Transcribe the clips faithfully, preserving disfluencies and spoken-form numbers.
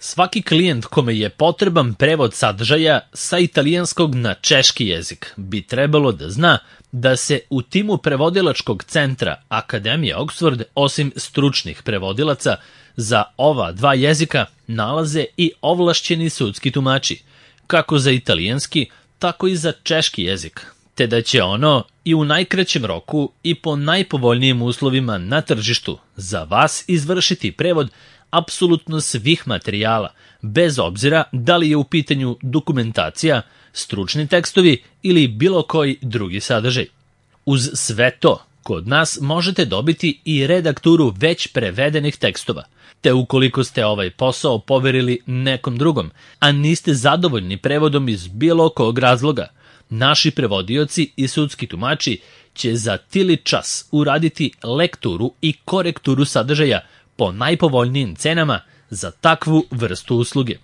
Svaki klijent kome je potreban prevod sadržaja sa italijanskog na češki jezik bi trebalo da zna da se u timu prevodilačkog centra Akademije Oxford osim stručnih prevodilaca za ova dva jezika nalaze i ovlašćeni sudski tumači, kako za italijanski, tako i za češki jezik, te da će ono i u najkraćem roku i po najpovoljnijim uslovima na tržištu za vas izvršiti prevod apsolutno svih materijala, bez obzira da li je u pitanju dokumentacija, stručni tekstovi ili bilo koji drugi sadržaj. Uz sve to, kod nas možete dobiti i redakturu već prevedenih tekstova, te ukoliko ste ovaj posao poverili nekom drugom, a niste zadovoljni prevodom iz bilo kog razloga, naši prevodioci i sudski tumači će za tili čas uraditi lekturu i korekturu sadržaja po najpovoljnijim cenama za takvu vrstu usluge.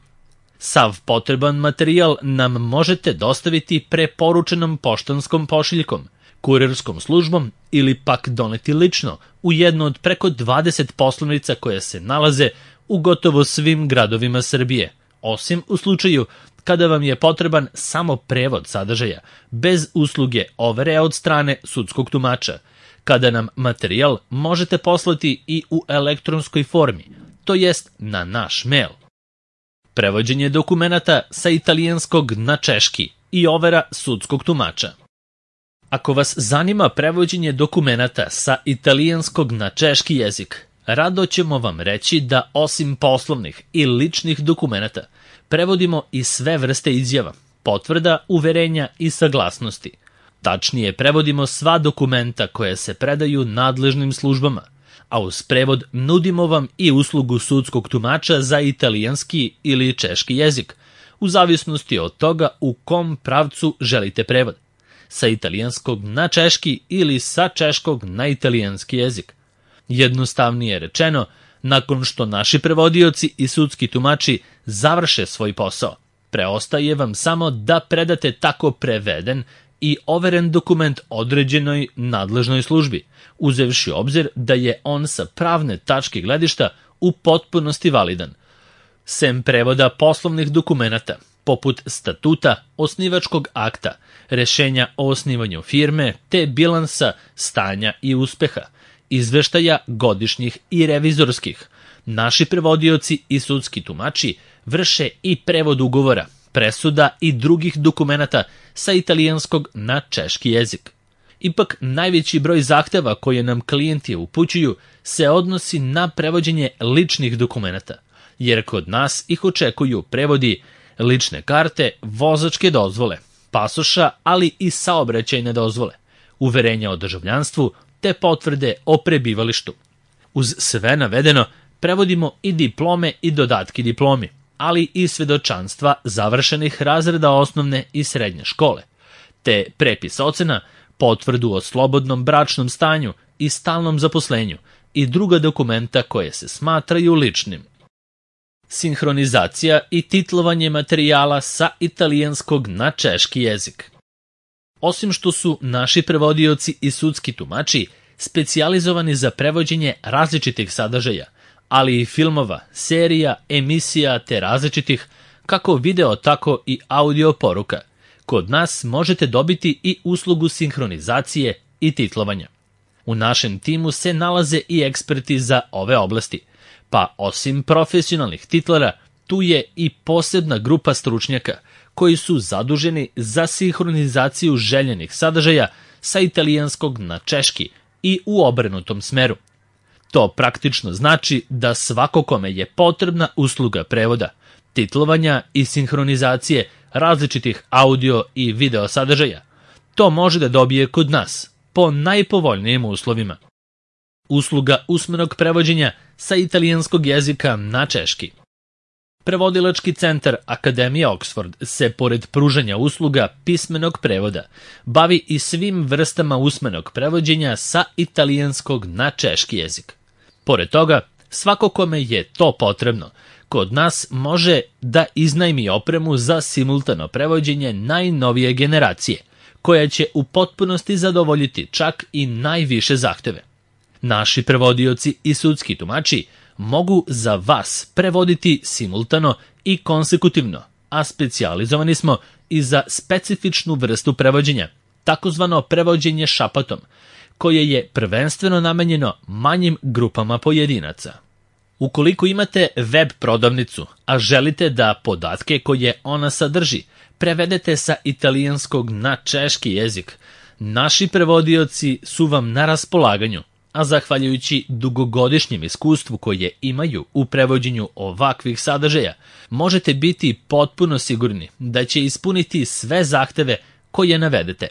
Sav potreban materijal nam možete dostaviti preporučenom poštanskom pošiljkom, kurirskom službom ili pak doneti lično u jednu od preko dvadeset poslovnica koje se nalaze u gotovo svim gradovima Srbije, osim u slučaju kada vam je potreban samo prevod sadržaja, bez usluge overe od strane sudskog tumača, kada nam materijal možete poslati i u elektronskoj formi, to jest na naš mail. Prevođenje dokumenata sa italijanskog na češki i overa sudskog tumača. Ako vas zanima prevođenje dokumenata sa italijanskog na češki jezik, rado ćemo vam reći da osim poslovnih i ličnih dokumenata, prevodimo i sve vrste izjava, potvrda, uverenja i saglasnosti. Tačnije, prevodimo sva dokumenta koje se predaju nadležnim službama, a uz prevod nudimo vam i uslugu sudskog tumača za italijanski ili češki jezik, u zavisnosti od toga u kom pravcu želite prevod, sa italijanskog na češki ili sa češkog na italijanski jezik. Jednostavnije rečeno, nakon što naši prevodioci i sudski tumači završe svoj posao, preostaje vam samo da predate tako preveden i overen dokument određenoj nadležnoj službi, uzevši obzir da je on sa pravne tačke gledišta u potpunosti validan. Sem prevoda poslovnih dokumenata, poput statuta, osnivačkog akta, rešenja o osnivanju firme, te bilansa, stanja i uspeha, izveštaja godišnjih i revizorskih, naši prevodioci i sudski tumači vrše i prevod ugovora, presuda i drugih dokumenata sa italijanskog na češki jezik. Ipak, najveći broj zahteva koje nam klijenti upućuju se odnosi na prevođenje ličnih dokumenata, jer kod nas ih očekuju prevodi lične karte, vozačke dozvole, pasoša, ali i saobraćajne dozvole, uverenja o državljanstvu te potvrde o prebivalištu. Uz sve navedeno, prevodimo i diplome i dodatki diplomi, ali i svedočanstva završenih razreda osnovne i srednje škole, te prepis ocena, potvrdu o slobodnom bračnom stanju i stalnom zaposlenju i druga dokumenta koje se smatraju ličnim. Sinhronizacija i titlovanje materijala sa italijanskog na češki jezik. Osim što su naši prevodioci i sudski tumači specijalizovani za prevođenje različitih sadržaja, ali i filmova, serija, emisija te različitih kako video tako i audio poruka, kod nas možete dobiti i uslugu sinhronizacije i titlovanja. U našem timu se nalaze i eksperti za ove oblasti, pa osim profesionalnih titlera, tu je i posebna grupa stručnjaka koji su zaduženi za sinhronizaciju željenih sadržaja sa italijanskog na češki i u obrnutom smeru. To praktično znači da svako kome je potrebna usluga prevoda, titlovanja i sinhronizacije različitih audio i video sadržaja, to može da dobije kod nas po najpovoljnijim uslovima. Usluga usmenog prevođenja sa italijanskog jezika na češki. Prevodilački centar Akademije Oxford se, pored pružanja usluga pismenog prevoda, bavi i svim vrstama usmenog prevođenja sa italijanskog na češki jezik. Pored toga, svako kome je to potrebno, kod nas može da iznajmi opremu za simultano prevođenje najnovije generacije, koja će u potpunosti zadovoljiti čak i najviše zahteve. Naši prevodioci i sudski tumači mogu za vas prevoditi simultano i konsekutivno, a specijalizovani smo i za specifičnu vrstu prevođenja, takozvano prevođenje šapatom, koje je prvenstveno namenjeno manjim grupama pojedinaca. Ukoliko imate web prodavnicu, a želite da podatke koje ona sadrži prevedete sa italijanskog na češki jezik, naši prevodioci su vam na raspolaganju, a zahvaljujući dugogodišnjem iskustvu koje imaju u prevođenju ovakvih sadržaja, možete biti potpuno sigurni da će ispuniti sve zahteve koje navedete.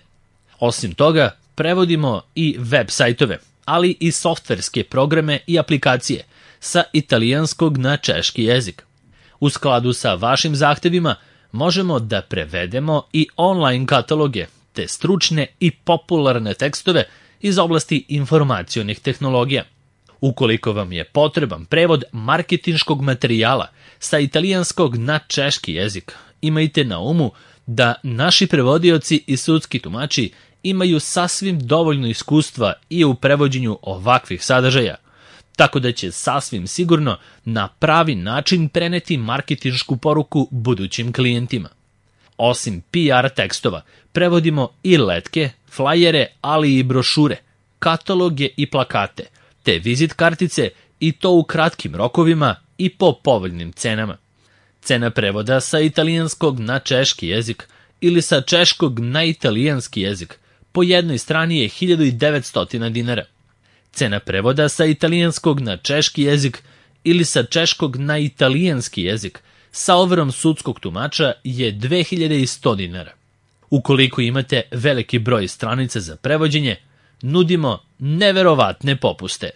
Osim toga, prevodimo i web sajtove, ali i softverske programe i aplikacije sa italijanskog na češki jezik. U skladu sa vašim zahtevima možemo da prevedemo i online kataloge, te stručne i popularne tekstove iz oblasti informacionih tehnologija. Ukoliko vam je potreban prevod marketinškog materijala sa italijanskog na češki jezik, imajte na umu da naši prevodioci i sudski tumači imaju sasvim dovoljno iskustva i u prevođenju ovakvih sadržaja, tako da će sasvim sigurno na pravi način preneti marketinšku poruku budućim klijentima. Osim P R tekstova, prevodimo i letke, flajere, ali i brošure, kataloge i plakate, te vizit kartice, i to u kratkim rokovima i po povoljnim cenama. Cena prevoda sa italijanskog na češki jezik ili sa češkog na italijanski jezik po jednoj strani je hiljadu devetsto dinara. Cena prevoda sa italijanskog na češki jezik ili sa češkog na italijanski jezik sa overom sudskog tumača je dve hiljade sto dinara. Ukoliko imate veliki broj stranica za prevođenje, nudimo neverovatne popuste.